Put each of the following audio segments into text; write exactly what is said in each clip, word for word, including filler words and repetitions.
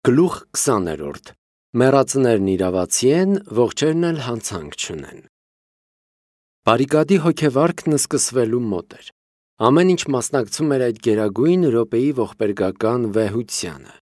Գլուխ քսաներորդ. Մեռածներն իրավացի են, ողջերն էլ հանցանք չունեն։ Բարիկադի հոգեվարքն սկսվելու մոտ էր։ Ամեն ինչ մասնակցում էր այդ գերագույն րոպեի ողբերգական վեհությանը։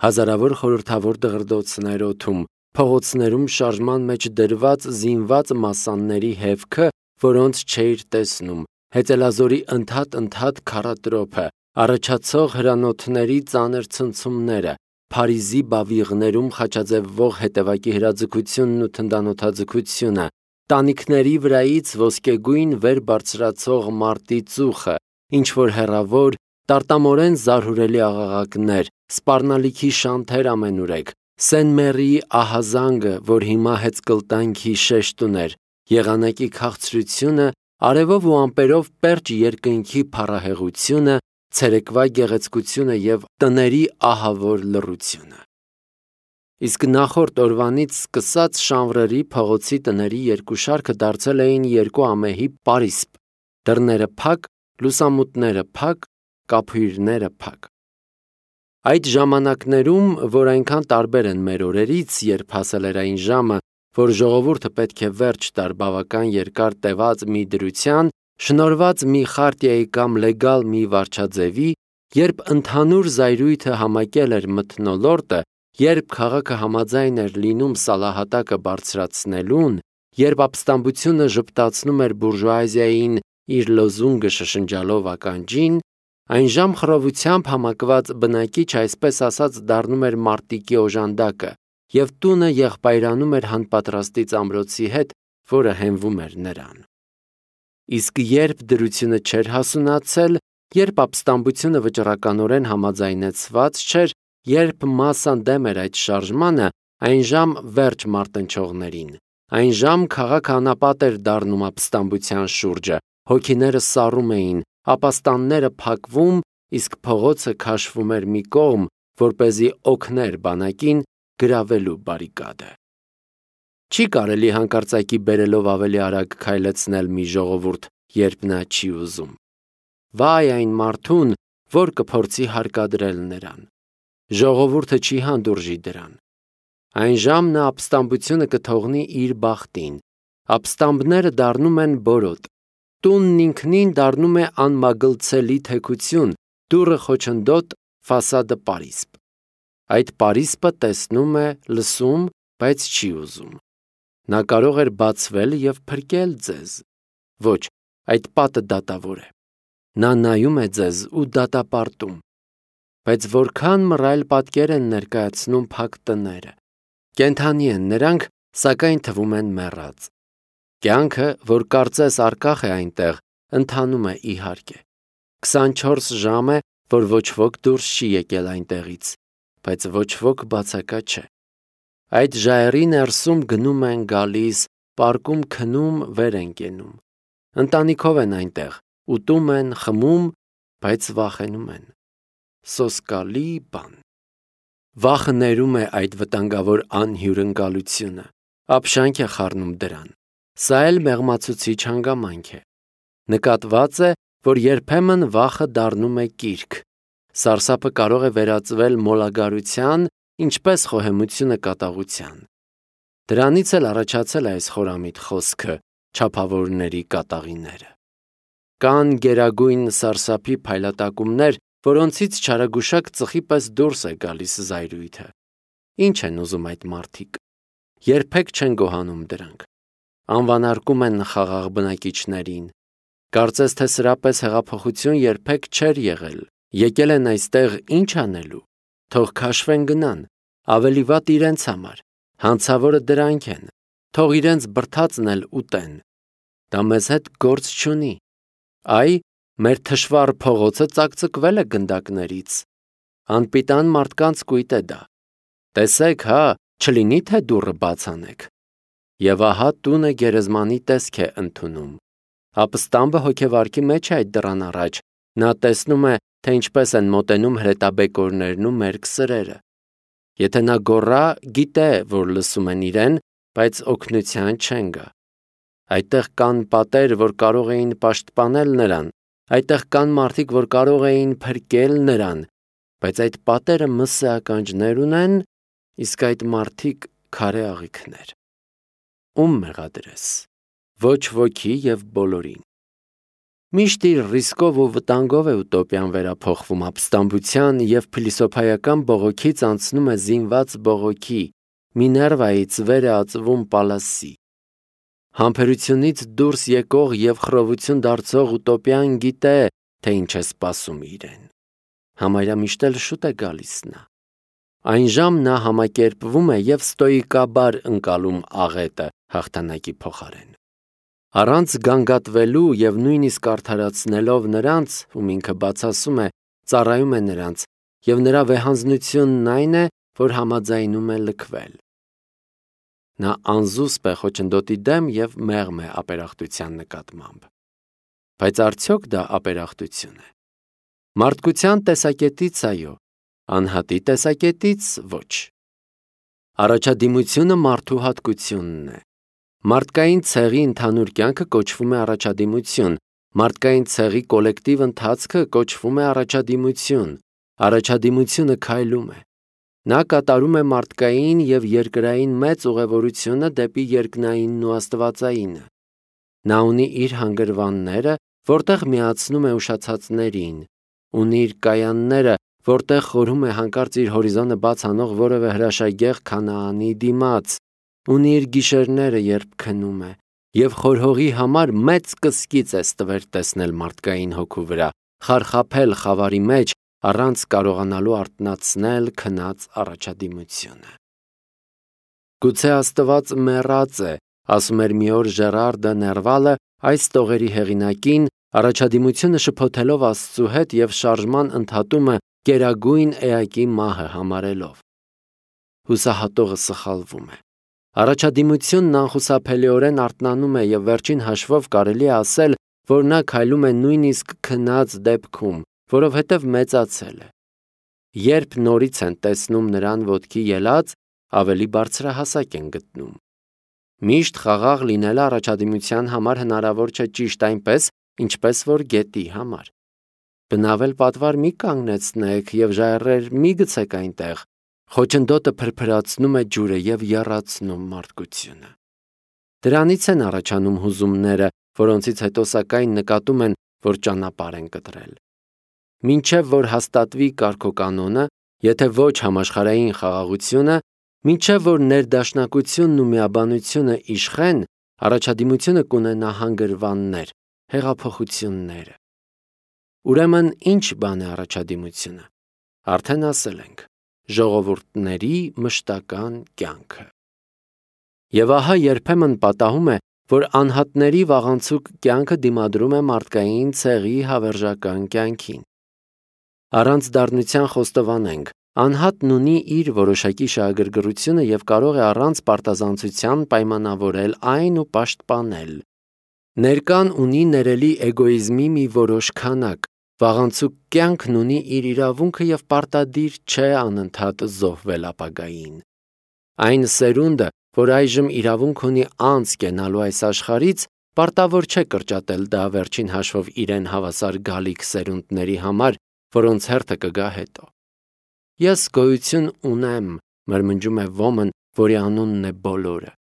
Հազարավոր խորհրդավոր դղրդոցներ օդում, փողոցներում շարժման մեջ դրված զինված մասանների հևքը, որոնց չէիր տեսնում, հետելազորի ընդհատ-ընդհատ քարատրոփը, առաջացող հրանոթների ծանր ցնցումները, Փարիզի բավիղներում խաչաձևվող հետևակի հրաձգությունն ու թնդանոթաձգությունը, տանիքների վրայից ոսկեգույն վեր բարձրացող մարտի ծուխը, ինչ-որ հեռավոր, տարտամորեն զարհուրելի աղաղակներ, սպառնալիքի շանթեր ամենուրեք, Սեն-Մերիի ահազանգը, որ հիմա հեծկլտանքի շեշտ ուներ, եղանակի քաղցրությունը, արևով ու ամպերով պերճ երկնքի փառահեղությունը, ցերեկվա գեղեցկությունը և տների ահավոր լռությունը։ Իսկ նախորդ օրվանից սկսած Շանվրերի փողոցի տների երկու շարքը դարձել էին երկու ամեհի պարիսպ, դռները փակ, լուսամուտները փակ, կափույրները փակ։ Այդ ժամանակներում, որ այնքան տարբեր են մեր օրերից, երբ հասել էր այն ժամը, որ ժողովուրդը պետք է վերջ տար բավական երկար տևած մի դրության, շնորհված մի խարտիայի կամ լեգալ մի վարչաձևի, երբ ընդհանուր զայրույթը համակել էր մթնոլորտը, երբ քաղաքը համաձայն էր լինում սալահատակը բարձրացնելուն, երբ ապստամբությունը ժպտացնում էր բուրժուազիային իր լոզունգը շշնջալով ականջին, այնժամ խռովությամբ համակված բնակիչ այսպես ասած դառնում էր մարտիկի օժանդակը, և տունը եղբայրանում էր հանպատրաստի ծամրոցի հետ, որը հենվում էր նրան։ Իսկ երբ դրությունը չէր հասունացել, երբ ապստամբությունը վճռականորեն համաձայնեցված չէր, երբ մասսան դեմ էր այդ շարժմանը, այնժամ վերջ մարտնչողներին, այնժամ քաղաքը անապատ էր դառնում ապստամբության շուրջը, հոգիները սառում էին, ապաստանները փակվում, իսկ փողոցը քաշվում էր մի կողմ, որպեսզի օգներ բանակին գրավելու բարիկադը։ Չի կարելի հանկարծակի բերելով ավելի արագ քայլեցնել մի ժողովուրդ, երբ նա չի ուզում։ Վայ այն մարդուն, որ կփորձի հարկադրել նրան։ Ժողովուրդը չի հանդուրժի դրան։ Այնժամ նա ապստամբությունը կթողնի իր բախտին։ Ապստամբները դառնում են բորոտ։ Տունն ինքնին դառնում է անմագլցելի թեքություն, դուռը խոչընդոտ, ֆասադը պարիսպ։ Այդ պարիսպը տեսնում է, լսում, բայց չի ուզում։ Նա կարող էր բացվել և փրկել ձեզ։ Ոչ, այդ պատը դատավոր է։ Նա նայում է ձեզ ու դատապարտում։ Բայց որքան մռայլ պատկեր են ներկայացնում փակ տները։ Կենդանի են նրանք, սակայն թվում են մեռած։ Կյանքը, որ կարծես առկախ է այնտեղ, ընթանում է իհարկե։ քսանչորս ժամ է, որ ոչ ոք դուրս չի եկել այնտեղից, բայց ոչ ոք բացակա չէ։ Այդ ժայռի ներսում գնում են գալիս, պարկում քնում, վեր են կենում։ Ընտանիքով են այնտեղ, ուտում են, խմում, բայց վախենում են։ Սոսկալի բան։ Վախը ներում է այդ վտանգավոր անհյուրընկալությունը, ապշանք է խառնում դրան։ Սա էլ մեղմացուցիչ հանգամանք է։ Նկատված է, որ երբեմն վախը դառնում է կիրք։ Սարսափը կարող է վերածվել մոլագարության, ինչպես խոհեմությունը կատաղության։ Դրանից էլ առաջացել է այս խորամիտ խոսքը չափավորների կատաղիները։ Կան գերագույն սարսափի փայլատակումներ, որոնցից չարագուշակ ծխի պես դուրս է գալիս զայրույթը։ Ինչ են ուզում այդ մարդիկ։ Երբեք չեն գոհանում դրանք։ Անվանարկում են խաղաղ բնակիչներին։ Կարծես թե սրա պես հեղափոխություն երբեք չէր եղել։ Եկել են այստեղ ինչ անելու։ Թող քաշվեն գնան, ավելի վատ իրենց համար, հանցավորը դրանք են, թող իրենց բրդացն էլ ուտեն։ Դա մեզ հետ գործ չունի։ Այ, մեր թշվառ փողոցը ծակծկվել է գնդակներից։ Անպիտան մարդկանց կույտ է դա։ Տեսեք, հա, չլինի թե դուռը բաց անեք։ Եվ ահա տունը գերեզմանի տեսք է ընդունում։ Ապստամբը հոգեվարքի մեջ է այդ դռան առաջ, նա տեսնում է, թե ինչպես են մոտենում հրետաբեկորներն ու մերկ սրերը։ Եթե նա գոռա, գիտե, որ լսում են իրեն, բայց օգնության չեն գա։ Այդտեղ կան պատեր, որ կարող էին պաշտպանել նրան, այդտեղ կան մարդիկ, որ կարող էին փրկել նրան, բայց այդ պատերը մսե ականջներ ունեն, իսկ այդ մարդիկ քարե աղիքներ։ Ում մեղադրես։ Ոչ ոքի եւ բոլորին։ Միշտ իր ռիսկով ու վտանգով է ուտոպիան վերափոխվում ապստամբության եւ փիլիսոփայական բողոքից անցնում է զինված բողոքի, Միներվայից վեր է ածվում Պալասի։ Համբերությունից դուրս եկող եւ խռովություն դարձող ուտոպիան գիտե, թե ինչ է սպասում իրեն։ Համարյա միշտ էլ շուտ է գալիս նա։ Այն ժամ նա համակերպվում է եւ ստոիկաբար ընկալում աղետը հաղթանակի փոխարեն։ Առանց գանգատվելու եւ նույնիսկ արդարացնելով նրանց, ում ինքը բացասում է, ծառայում է նրանց, եւ նրա վեհանձնությունն այն է, որ համաձայնում է լքվել։ Նա անզուսպ է խոչընդոտի դեմ եւ մեղմ է ապերախտության նկատմամբ։ Բայց արդյոք դա ապերախտություն է։ Մարդկության տեսակետից այո, անհատի տեսակետից ոչ։ Առաջադիմությունը մարդու հատկությունն է։ Մարդկային ցեղի ընդհանուր կյանքը կոչվում է առաջադիմություն, մարդկային ցեղի կոլեկտիվ ընթացքը կոչվում է առաջադիմություն, առաջադիմությունը քայլում է։ Նա կատարում է մարդկային եւ երկրային մեծ ուղևորությունը դեպի երկնայինն ու աստվածայինը։ Նա ունի իր հանգրվանները, որտեղ միացնում է ուշացածներին, ունի իր կայանները, որտեղ խորհում է հանկարծ իր հորիզոնը բաց անող որևէ հրաշագեղ քանաանի դիմաց, ունի իր գիշերները, երբ քնում է, եւ խորհողի համար մեծ կսկիծ է ստվեր տեսնել մարդկային հոգու վրա, խարխափել խավարի մեջ, առանց կարողանալու արթնացնել քնած առաջադիմությունը։ Գուցե Աստված մեռած է, ասում էր մի օր Ժերար դը Ներվալը այս տողերի հեղինակին, առաջադիմությունը շփոթելով Աստծու հետ եւ շարժման ընդհատումը կերագույն էակի մահը համարելով։ Հուսահատողը սխալվում է։ Առաջադիմությունն անխուսափելիորեն արթնանում է եւ վերջին հաշվով կարելի է ասել, որ նա քայլում է նույնիսկ քնած դեպքում, որովհետև մեծացել է։ Երբ նորից են տեսնում նրան ոտքի ելած, ավելի բարձրահասակ են գտնում։ Միշտ խաղաղ լինելը առաջադիմության համար հնարավոր չէ ճիշտ այնպես, ինչպես որ գետի համար։ Բնավել պատվար մի կանգնեցնեք եւ ժայռեր մի գցեք այնտեղ, խոչընդոտը փրփրացնում է ջուրը եւ եռացնում մարդկությունը։ Դրանից են առաջանում հուզումները, որոնցից հետո սակայն նկատում են, որ ճանապարհ են կտրել։ Մինչև որ հաստատվի կարգոկանոնը, եթե ոչ համաշխարհային խաղաղությունը, մինչև որ ներդաշնակությունն ու միաբանությունը իշխեն, առաջադիմությունը կունենա հանգրվաններ, հեղափոխությունները։ Ուրեմն ինչ բան է առաջադիմությունը։ Արդեն ասել ենք, ժողովուրդների մշտական կյանքը։ Եվ ահա երբեմն պատահում է, որ անհատների վաղանցուկ կյանքը դիմադրում է մարդկային ցեղի հավերժական կյանքին։ Առանց դառնության խոստովանենք, անհատն ունի իր որոշակի շահագրգռությունը եւ կարող է առանց պարտազանցության պայմանավորել այն ու պաշտպանել։ Ներկան ունի ներելի էգոիզմի մի որոշ քանակ, վաղանցուկ կյանքն ունի իր իրավունքը եւ պարտադիր չէ անընդհատ զոհվել ապագային։ Այն սերունդը, որ այժմ իրավունք ունի անց կենալու այս աշխարհից, պարտավոր չէ կրճատել դա վերջին հաշվով իրեն հավասար գալիք սերունդների համար, որոնց հերթը կգա հետո։ Ես գոյություն ունեմ, մրմնջում է ոմն, որի անունն է բոլորը։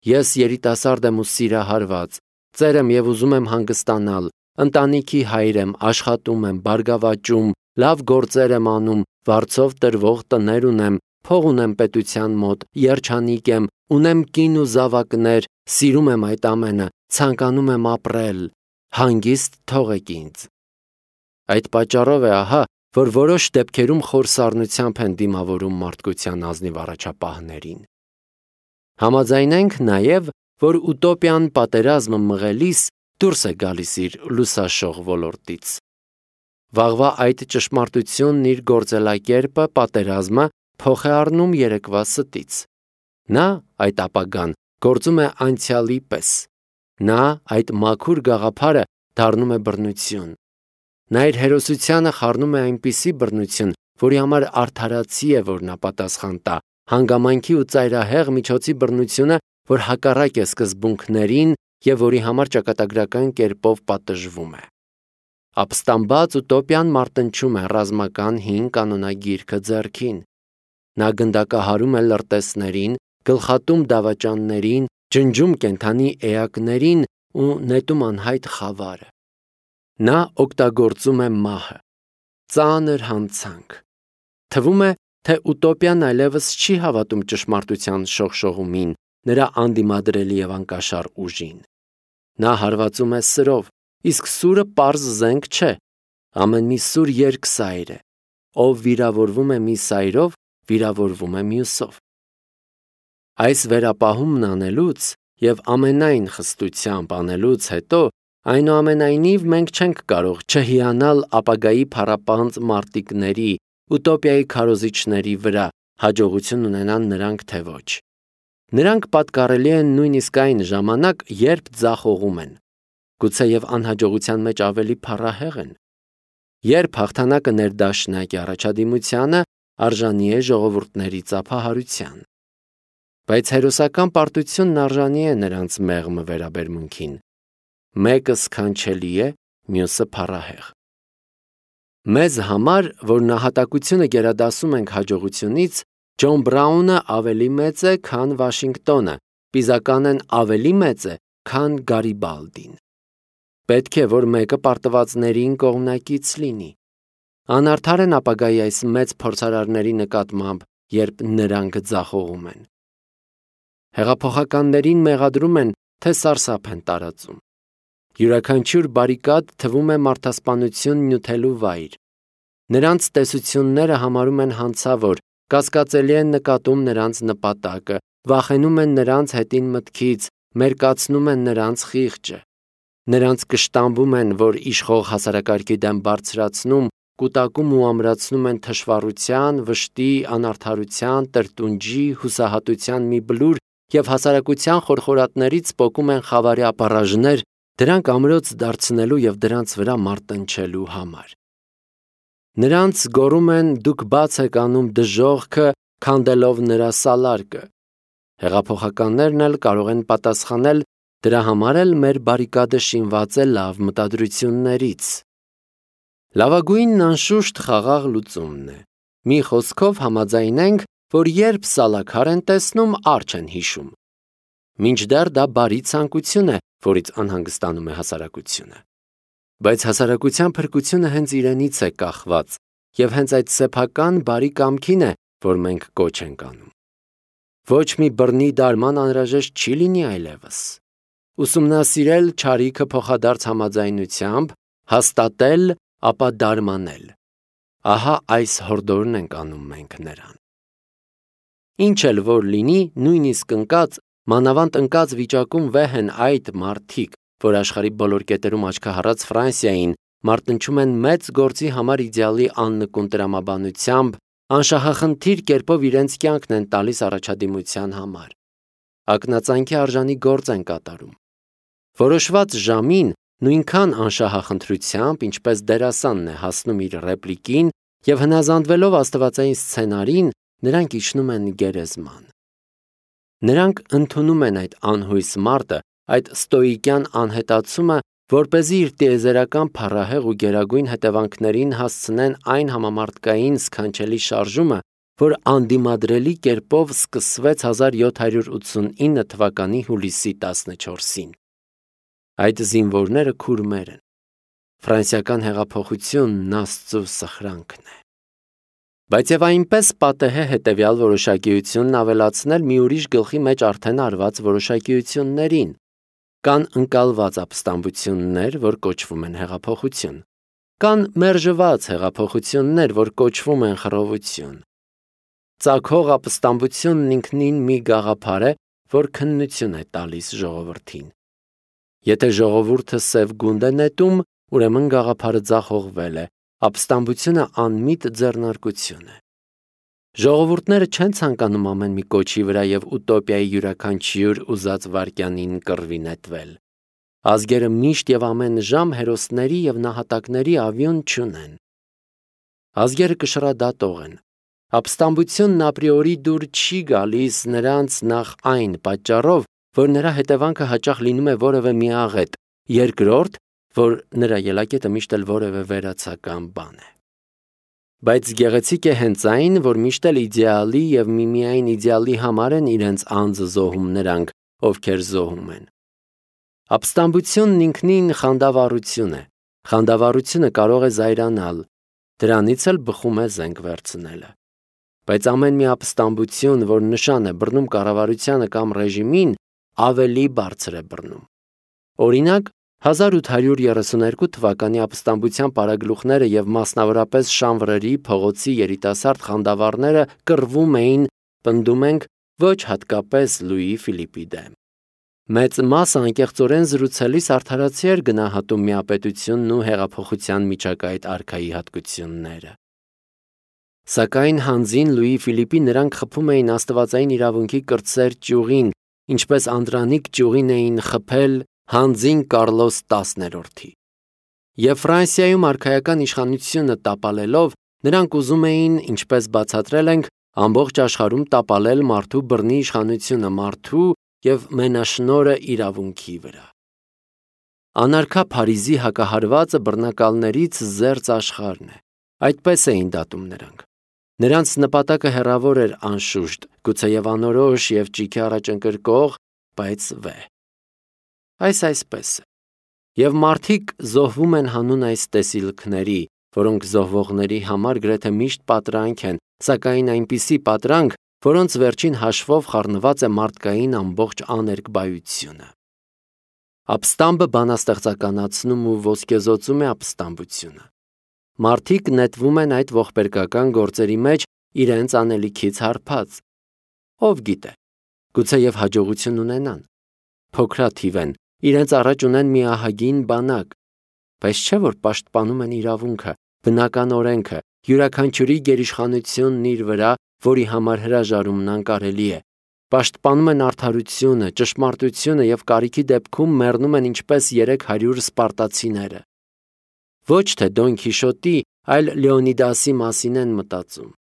Ես երիտասարդ եմ ու սիրահարված, ծեր եմ եւ ուզում եմ հանգստանալ, ընտանիքի հայր եմ, աշխատում եմ, բարգավաճում, լավ գործեր եմ անում, վարձով տրվող տներ ունեմ, փող ունեմ պետության մոտ, երջանիկ եմ, ունեմ կին ու զավակներ, սիրում եմ այդ ամենը, ցանկանում եմ ապրել, հանգիստ թողեք ինձ։ Այդ պատճառով է ահա, որ որոշ դեպքերում խոր սառնությամբ են դիմավորում մարդկության ազնիվ առաջապահներին։ Համաձայնենք նաև, որ ուտոպիան պատերազմը մղելիս դուրս է գալիս իր լուսաշող ոլորտից։ Վաղվա այդ ճշմարտությունն իր գործելակերպը պատերազմը փոխ է առնում երեկվա ստից։ Նա, այդ ապագան, գործում է անցյալի պես։ Նա, այդ մաքուր գաղափարը, դառնում է բռնություն։ Նա իր հերոսությանը խառնում է այնպիսի բռնություն, որի համար արդարացի է, որ նա պատասխան տա, հանգամանքի ու ծայրահեղ միջոցի բռնությունը, որ հակառակ է սկզբունքներին եւ որի համար ճակատագրական կերպով պատժվում է։ Ապստամբած ուտոպիան մարտնչում է ռազմական հին կանոնագիրքը ձեռքին։ Նա գնդակահարում է լրտեսներին, գլխատում դավաճաններին, ջնջում կենդանի էակներին ու նետում անհայտ խավարը։ Նա օգտագործում է մահը, ծանր հանցանք։ Թվում է, թե ուտոպիան այլևս չի հավատում ճշմարտության շողշողումին, նրա անդիմադրելի և անկաշառ ուժին։ Նա հարվածում է սրով, իսկ սուրը պարզ զենք չէ, ամեն մի սուր երկսայր է, ով վիրավորվում է մի սայրով, վիրավորվում է մյուսով։ Այս վերապահումն անելուց և ամենայն խստությամբ անելուց հետո, այնուամենայնիվ մենք չենք կարող չհիանալ ապագայի փառապանծ մարտիկների, ուտոպիայի քարոզիչների վրա, հաջողություն ունենան նրանք թե ոչ։ Նրանք պատկառելի են նույնիսկ այն ժամանակ, երբ ձախողում են, գուցեև անհաջողության մեջ ավելի փառահեղ են։ Երբ հաղթանակը ներդաշնակ է առաջադիմությանը, արժանի է ժողովուրդների ծափահարության։ Բայց հերոսական պարտությունն արժանի է նրանց մեղմ վերաբերմունքին։ Մեկը սքանչելի է, մյուսը փառահեղ։ Մեզ համար, որ նահատակությունը գերադասում ենք հաջողությունից, Ջոն Բրաունը ավելի մեծ է, քան Վաշինգտոնը, Պիզականեն ավելի մեծ է, քան Գարիբալդին։ Պետք է, որ մեկը պարտվածներին կողմնակից լինի։ Անարդար են ապագայի այս մեծ փորձարարների նկատմամբ, երբ նրանք ձախողում են։ Հեղափոխականներին մեղադրում են, թե սարսափ են տարածում։ Յուրաքանչյուր բարիկադ թվում է մարդասպանություն նյութելու վայր։ Նրանց տեսությունները համարում են հանցավոր, կասկածելի են նկատում նրանց նպատակը, վախենում են նրանց հետին մտքից, մերկացնում են նրանց խիղճը։ Նրանց կշտամբում են, որ իշխող հասարակարգի դեմ բարձրացնում, կուտակում ու ամրացնում են թշվառության, վշտի, անարդարության, տրտունջի, հուսահատության մի բլուր և հասարակության խորխորատներից պոկում են խավարի ապառաժներ, դրանք ամրոց դարձնելու և դրանց վրա մարտնչելու համար։ Նրանց գոռում են դուք բաց եք անում դժոխքը, քանդելով նրա սալարկը։ Հեղափոխականներն էլ կարող են պատասխանել, դրա համար էլ մեր բարիկադը շինված է լավ մտադրություններից։ Լավագույնն անշուշտ խաղաղ լուծումն է։ Մի խոսքով համաձայնենք, որ երբ սալաքար են տեսնում, արջ են հիշում։ Մինչդեռ դա բարի ցանկություն է, որից անհանգստանում է հասարակությունը։ Բայց հասարակության փրկությունը հենց իրենից է կախված, և հենց այդ սեփական բարի կամքին է, որ մենք կոչ ենք անում։ Ոչ մի բռնի դարման անհրաժեշտ չի լինի այլևս։ Ուսումնասիրել չարիքը փոխադարձ համաձայնությամբ, հաստատել, ապա դարմանել։ Ահա այս հորդորն ենք անում մենք նրան։ Ինչ էլ որ լինի, նույնիսկ ընկած, մանավանդ ընկած վիճակում վեհ են այդ մարդիկ, որ աշխարհի բոլոր կետերում աչքահառած Ֆրանսիային մարտնչում են մեծ գործի համար իդեալի աննկուն տրամաբանությամբ, անշահախնդիր կերպով իրենց կյանքն են տալիս առաջադիմության համար։ Ակնածանքի արժանի գործ են կատարում։ Որոշված ժամին նույնքան անշահախնդրությամբ, ինչպես դերասանն է հասնում իր ռեպլիկին և հնազանդվելով աստվածային սցենարին, նրանք իջնում են գերեզման։ Նրանք ընդունում են այդ անհույս մարտը, այդ ստոիկյան անհետացումը, որպեսզի իր տիեզերական փառահեղ ու գերագույն հետևանքներին հասցնեն այն համամարտկային սքանչելի շարժումը, որ անդիմադրելի կերպով սկսվեց հազար յոթ հարյուր ութսունինը թվականի հուլիսի տասնչորսին։ Այդ զինվորները քուրմեր են։ Ֆրանսիական հեղափոխությունն Աստծո սխրանքն է։ Բայց և այնպես պատեհ է հետևյալ որոշակիությունն ավելացնել մի ուրիշ գլխի մեջ արդեն արված որոշակիություններին։ Կան ընկալված ապստամբություններ, որ կոչվում են հեղափոխություն։ Կան մերժված հեղափոխություններ, որ կոչվում են խռովություն։ Ծագող ապստամբությունն ինքնին մի գաղափար է, որ քննություն է տալիս ժողովրդին։ Եթե ժողովուրդը սև գունդ է նետում, ուրեմն գաղափարը ձախողվել է, ապստամբությունը անմիտ ձեռնարկություն է։ Ժողովուրդները չեն ցանկանում ամեն մի կոչի վրա և ուտոպիայի յուրաքանչյուր ուզած վայրկյանին կռվի նետվել։ Ազգերը միշտ և ամեն ժամ հերոսների և նահատակների ավյուն չունեն։ Ազգերը կշռադատող են։ Ապստամբությունն ապրիորի դուր չի գալիս նրանց նախ այն պատճառով, որ նրա հետևանքը հաճախ լինում է որևէ մի աղետ, երկրորդ, որ նրա ելակետը միշտ էլ որևէ վերացական բան է։ Բայց գեղեցիկ է հենց այն, որ միշտ էլ իդեալի եւ միմիայն իդեալի համար են իրենց անձը զոհում նրանք, ովքեր զոհում են։ Ապստամբությունն ինքնին խանդավառություն է։ Խանդավառությունը կարող է զայրանալ, դրանից էլ բխում է զենք վերցնելը։ Բայց ամեն մի ապստամբություն, որ նշան է բռնում կառավարությանը կամ ռեժիմին, ավելի բարձր է բռնում։ Օրինակ, հազար ութ հարյուր երեսունհինգ թվականի ապստամբության պարագլուխները եւ մասնավորապես Շանվրերի փողոցի երիտասարդ խանդավառները կռվում էին, պնդում ենք, ոչ հատկապես Լուի Ֆիլիպի դեմ։ Մեծ մասը անկեղծորեն զրուցելիս արդարացի էր գնահատում միապետությունն ու հեղափոխության միջակայք արքայի հատկությունները։ Սակայն հանձին Լուի Ֆիլիպի նրանք խփում էին աստվածային իրավունքի կրտսեր ճյուղին, ինչպես Անդրանիկ ճյուղին էին խփել հանձին Կարլոս տասներորդի։ Եվ Ֆրանսիայում արքայական իշխանությունը տապալելով, նրանք ուզում էին, ինչպես բացատրել ենք, ամբողջ աշխարհում տապալել մարդու բռնի իշխանությունը մարդու եւ մենաշնորհը իրավունքի վրա։ Անարքա Փարիզի հակահարվածը բռնակալներից զերծ աշխարհն է։ Այդպես էին դատում նրանք։ Նրանց նպատակը հեռավոր էր անշուշտ, գուցեև անորոշ եւ ճիգի առաջընկրկող, բայց վեհ։ Այս այսպես է։ Եվ մարդիկ զոհվում են հանուն այս տեսիլքների, որոնք զոհվողների համար գրեթե միշտ պատրանք են, սակայն այնպիսի պատրանք, որոնց վերջին հաշվով խառնված է մարդկային ամբողջ աներկբայությունը։ Ապստամբը բանաստեղծականացնում ու ոսկեզօծում է ապստամբությունը։ Մարդիկ նետվում են այդ ողբերգական գործերի մեջ իրենց անելիքից հարբած։ Ով գիտե, գուցեև հաջողություն ունենան։ Փոքրաթիվ են, իրենց առաջ ունեն մի ահագին բանակ, բայց չէ որ պաշտպանում են իրավունքը, բնական օրենքը, յուրաքանչյուրի գերիշխանությունն իր վրա, որի համար հրաժարումն անկարելի է։ Պաշտպանում են արդարությունը, ճշմարտությունը եւ կարիքի դեպքում մեռնում են ինչպես երեք հարյուր սպարտացիները։ Ոչ թե Դոն Քիշոտի, այլ Լեոնիդասի մասին են մտածում։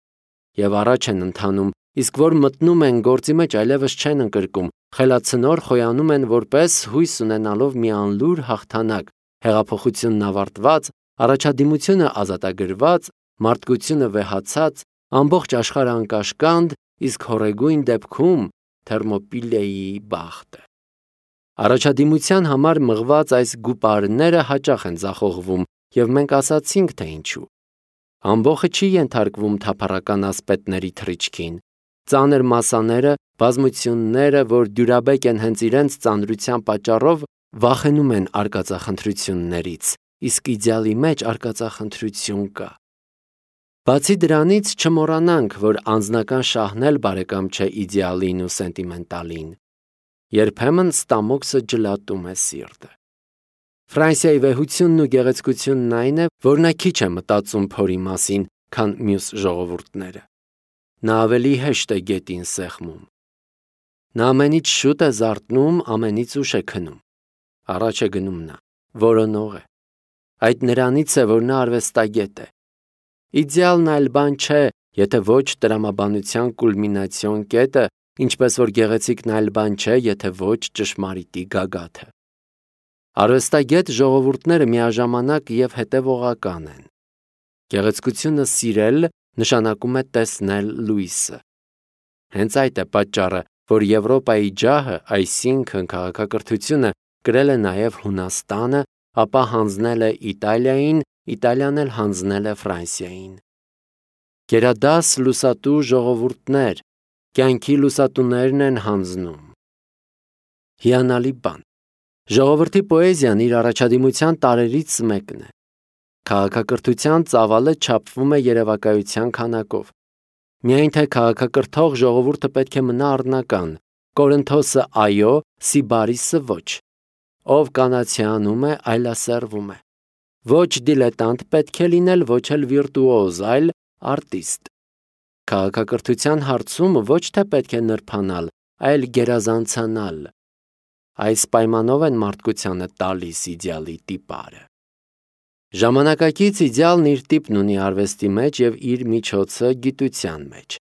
Եվ առաջ են ընթանում, իսկ որ մտնում են գործի մեջ այլևս չեն ընկրկում, խելացնոր խոյանում են որպես հույս ունենալով մի անլուր հաղթանակ, հեղափոխությունն ավարտված, առաջադիմությունը ազատագրված, մարդկությունը վեհացած, ամբողջ աշխարհը անկաշկանդ, իսկ հորեգույն դեպքում Թերմոպիլեի բախտը։ Առաջադիմության համար մղված այս գուպարները հաճախ են ձախողվում, եւ մենք ասացինք, թե ինչու։ Ամբողջը չի ենթարկվում թափառական ասպետների թռիչքին։ Ծանր մասաները, բազմությունները, որ դյուրաբեկ են հենց իրենց ծանրության պատճառով, վախենում են արկածախնդրություններից, իսկ իդեալի մեջ արկածախնդրություն կա։ Բացի դրանից չմոռանանք, որ անձնական շահն էլ բարեկամ չէ իդեալին ու սենտիմենտալին։ Երբեմն ստամոքսը ջլատում է սիրտը։ Ֆրանսիայի վեհությունն ու գեղեցկությունն այն է, որ նա քիչ է մտածում փորի մասին, քան մյուս ժողովուրդները։ Նա ավելի հեշտ է գետին սեղմում։ Նա ամենից շուտ է զարթնում, ամենից ուշ է քնում։ Առաջ է գնում նա, որոնող է։ Այդ նրանից է, որ նա արվեստագետ է։ Իդեալն այլ բան չէ, եթե ոչ տրամաբանության կուլմինացիոն կետը, ինչպես որ գեղեցիկն այլ բան չէ, եթե ոչ ճշմարիտի գագաթը։ Արվեստագետ ժողովուրդները միաժամանակ եւ հետևողական են։ Գեղեցկությունը սիրել նշանակում է տեսնել լույսը։ Հենց այդ է պատճառը, որ Եվրոպայի ջահը, այսինքն քաղաքակրթությունը, կրել է նաեւ Հունաստանը, ապա հանձնել է Իտալիային, Իտալիան էլ հանձնել է Ֆրանսիային։ Գերադաս լուսատու ժողովուրդներ, կյանքի լուսատուներն են հանձնում։ Հիանալի բան։ Ժողովրդի պոեզիան իր առաջադիմության տարերից մեկն է։ Քաղաքակրթության ծավալը չափվում է երևակայության քանակով։ Միայն թե քաղաքակրթող ժողովուրդը պետք է մնա առնական, Կորինթոսը այո, Սիբարիսը ոչ։ Ով կանացիանում է, այլասերվում է։ Ոչ դիլետանտ պետք է լինել, ոչ էլ վիրտուոզ, այլ արտիստ։ Քաղաքակրթության հարցում ոչ թե պետք է նրբանալ, այլ գերազանցանալ։ Այս պայմանով են մարդկությանը տալիս իդեալի տիպարը։ Ժամանակակից իդեալն իր տիպն ունի արվեստի մեջ եւ իր միջոցը գիտության մեջ։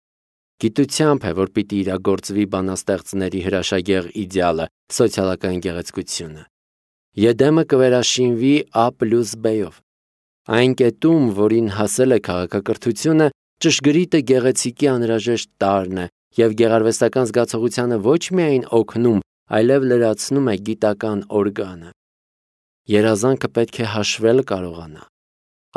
Գիտությամբ է, որ պիտի իրագործվի բանաստեղծների հրաշագեղ իդեալը, սոցիալական գեղեցկությունը։ Եդեմը կվերաշինվի A plus B-ով։ Այն կետում, որին հասել է քաղաքակրթությունը, ճշգրիտը գեղեցիկի անհրաժեշտ տարրն է և գեղարվեստական զգացողությանը ոչ միայն օգնում, այլև լրացնում է գիտական օրգանը։ Երազանքը պետք է հաշվել կարողանա։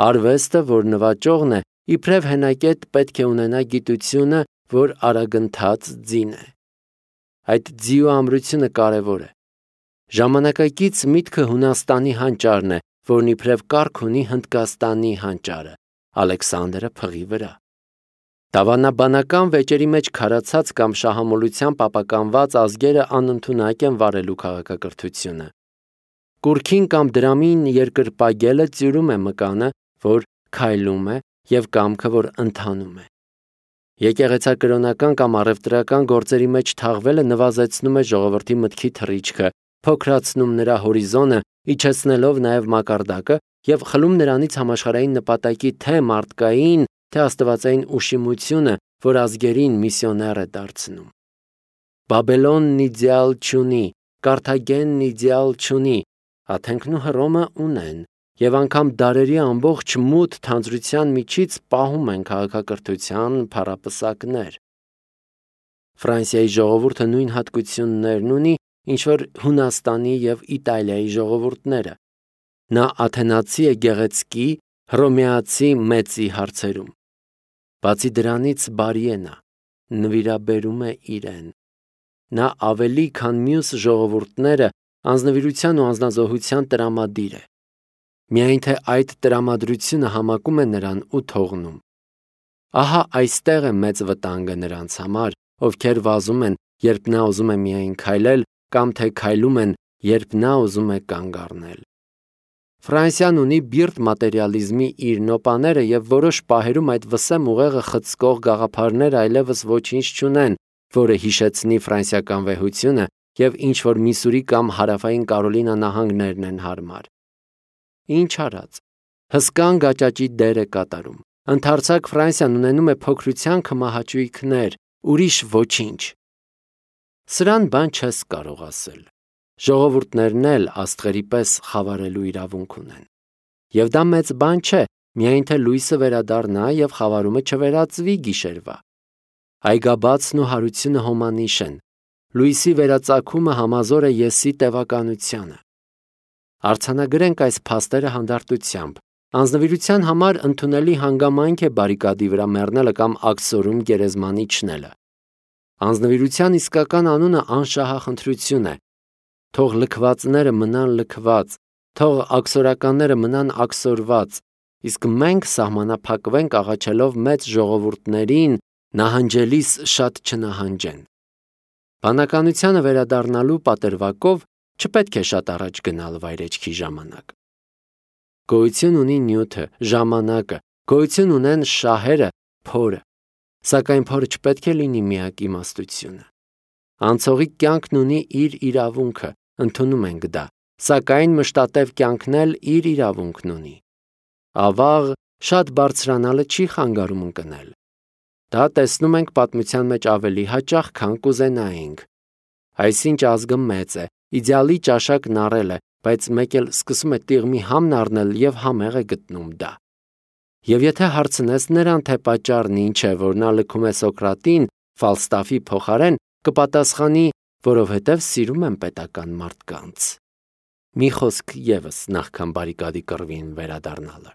Արվեստը, որ նվաճողն է, իբրև հենակետ պետք է ունենա գիտությունը, որ արագընթաց ձին է։ Այդ ձիու ամրությունը կարևոր է։ Ժամանակակից միտքը Հունաստանի հանճարն է, որն իբրև կարգ ունի Հնդկաստանի հանճարը, Ալեքսանդրը փղի վրա։ Դավանաբանական վեճերի մեջ քարացած կամ շահամոլությամբ ապականված ազգերը անընդունակ են վարելու քաղաքակրթությունը։ Կուրքին կամ դրամին երկրպագելը ծյուրում է մկանը, որ քայլում է, և կամքը, որ ընթանում է։ Եկեղեցակրոնական կամ առևտրական գործերի մեջ թաղվելը նվազեցնում է ժողովրդի մտքի թռիչքը, փոքրացնում նրա հորիզոնը, իջեցնելով նաև մակարդակը և խլում նրանից համաշխարհային նպատակի թե մարդկային, թե աստվածային ուշիմությունը, որ ազգերին միսիոներ է դարձնում։ Բաբելոնն իդեալ չունի, Կարթագենն իդեալ չունի, Աթենքն ու Հռոմը ունեն, և անգամ դարերի ամբողջ մութ թանձրության միջից պահում են քաղաքակրթության փառապսակներ։ Ֆրանսիայի ժողովուրդը նույն հատկություններն ունի, ինչ որ Հունաստանի և Իտալիայի ժողովուրդները։ Նա աթենացի է գեղեցկի, հռոմեացի մեծի հարցերում։ Բացի դրանից բարի է նա, նվիրաբերում է իրեն։ Նա ավելի քան մյուս ժողովուրդները անձնվիրության ու անձնազոհության տրամադիր է։ Միայն թե այդ տրամադրությունը համակում է նրան ու թողնում։ Ահա այստեղ է մեծ վտանգը նրանց համար, ովքեր վազում են, երբ նա ուզում է միայն քայլել, կամ թե քայլում են, երբ նա ուզում է կանգ առնել։ Ֆրանսիան ունի բիրտ մատերիալիզմի իր նոպաները և որոշ պահերում այդ վսեմ ուղեղը խցկող գաղափարները այլևս ոչինչ չունեն, որը հիշեցնի ֆրանսիական վեհությունը և ինչ-որ Միսուրի կամ հարավային Կարոլինա նահանգներն են հարմար։ Ինչ արած, հսկան գաճաճի դեր է կատարում։ Ընդարձակ Ֆրանսիան ունենում է փոքրության քմահաճույքներ, ուրիշ ոչինչ։ Սրան բան չես կարող ասել։ Ժողովուրդներն էլ աստղերի պես խավարելու իրավունք ունեն։ Եվ դա մեծ բան չէ, միայն թե լույսը վերադառնա և խավարումը չվերածվի գիշերվա։ Այգաբացն ու հարությունը հոմանիշ են։ Լույսի վերածագումը համազոր է եսի տևականությանը։ Արձանագրենք այս փաստերը հանդարտությամբ։ Անձնվիրության համար ընդունելի հանգամանք է բարիկադի վրա մեռնելը կամ աքսորում գերեզման իջնելը։ Անձնվիրության իսկական անունը անշահախնդրություն է։ Թող լքվածները մնան լքված, թող աքսորականները մնան աքսորված, իսկ մենք սահմանափակվենք աղաչելով մեծ ժողովուրդներին նահանջելիս շատ չնահանջեն։ Բանականությանը վերադառնալու պատրվակով չպետք է շատ առաջ գնալ վայրեջքի ժամանակ։ Գոյություն ունի նյութը, ժամանակը, գոյություն ունեն շահերը, փորը, սակայն փորը չպետք է լինի միակ իմաստությունը։ Անցողիկ կյանքն ունի իր իրավունքը, ընդունում ենք դա, սակայն մշտատև կյանքն էլ իր իրավունքն ունի։ Ավաղ շատ բարձրանալը չի խանգարում ընկնել։ Դա տեսնում ենք պատմության մեջ ավելի հաճախ, քան կուզենայինք։ Այսինչ ազգը մեծ է, իդեալի ճաշակն առել է, բայց մեկ էլ սկսում է տիղմի համն առնել և համեղ է գտնում դա։ Եվ եթե հարցնես նրան, թե պատճառն ինչ է, որ նա լքում է Սոկրատին Ֆալստաֆի փոխարեն, կպատասխանի, որովհետև սիրում եմ պետական մարդկանց։ Մի խոսք ևս նախքան բարիկադի կռվին վերադառնալը։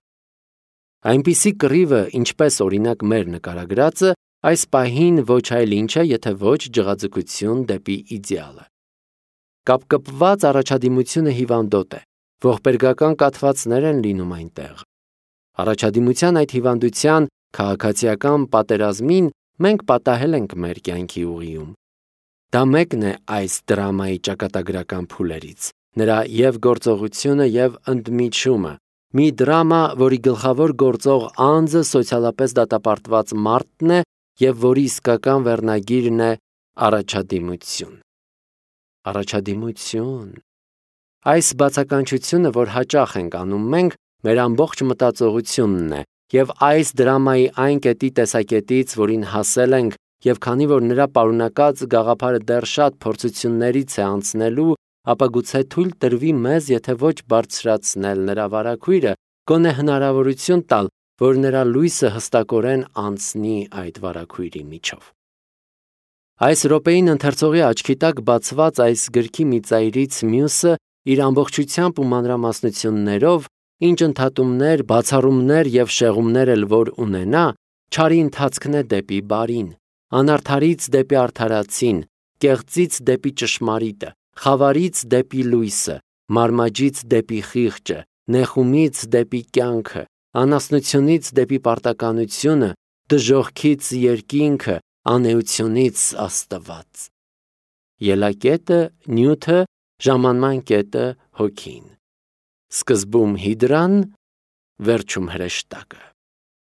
Այնպիսի կռիվը, ինչպես օրինակ մեր նկարագրածը, այս պահին ոչ այլ ինչ է, եթե ոչ ջղաձգություն դեպի իդեալը։ Կապկպված առաջադիմությունը հիվանդոտ է, ողբերգական կաթվածներ են լինում այնտեղ։ Առաջադիմության այդ հիվանդության քաղաքացիական պատերազմին մենք պատահել ենք մեր կյանքի ուղիում։ Դա մեկն է այս դրամայի ճակատագրական փուլերից, նրա և գործողությունը և ընդմիջումը, մի դրամա, որի գլխավոր գործող անձը սոցիալապես դատապարտված մարդն է և որի իսկական վերնագիրն է առաջադիմություն։ Առաջադիմություն։ Այս բացականչությունը, որ հաճախ ենք անում մենք, մեր ամբողջ մտածողությունն է, և այս դրամայի այն կետի տեսակետից, որին հասել ենք, և քանի որ նրա պարունակած գաղափարը դեռ շատ փորձություններից է անցնելու, ապա գուցե թույլ տրվի մեզ, եթե ոչ բարձրացնել նրա վարագույրը, գոնե հնարավորություն տալ, որ նրա լույսը հստակորեն անցնի այդ վարագույրի միջով։ Այս րոպեին ընթերցողի աչքի տակ բացված այս գրքի մի ծայրից մյուսը իր ամբողջությամբ ու մանրամասնություններով, ինչ ընդհատումներ, բացառումներ և շեղումներ էլ որ ունենա, չարի ընթացքն է դեպի բարին, անարդարից դեպի արդարացին, կեղծից դեպի ճշմարիտը, խավարից դեպի լույսը, մարմաջից դեպի խիղճը, նեխումից դեպի կյանքը, անասնությունից դեպի պարտականությունը, դժոխքից երկինքը, անէությունից Աստված։ Ելակետը նյութը, ժամանման կետը հոգին։ Սկզբում հիդրան, վերջում հրեշտակը։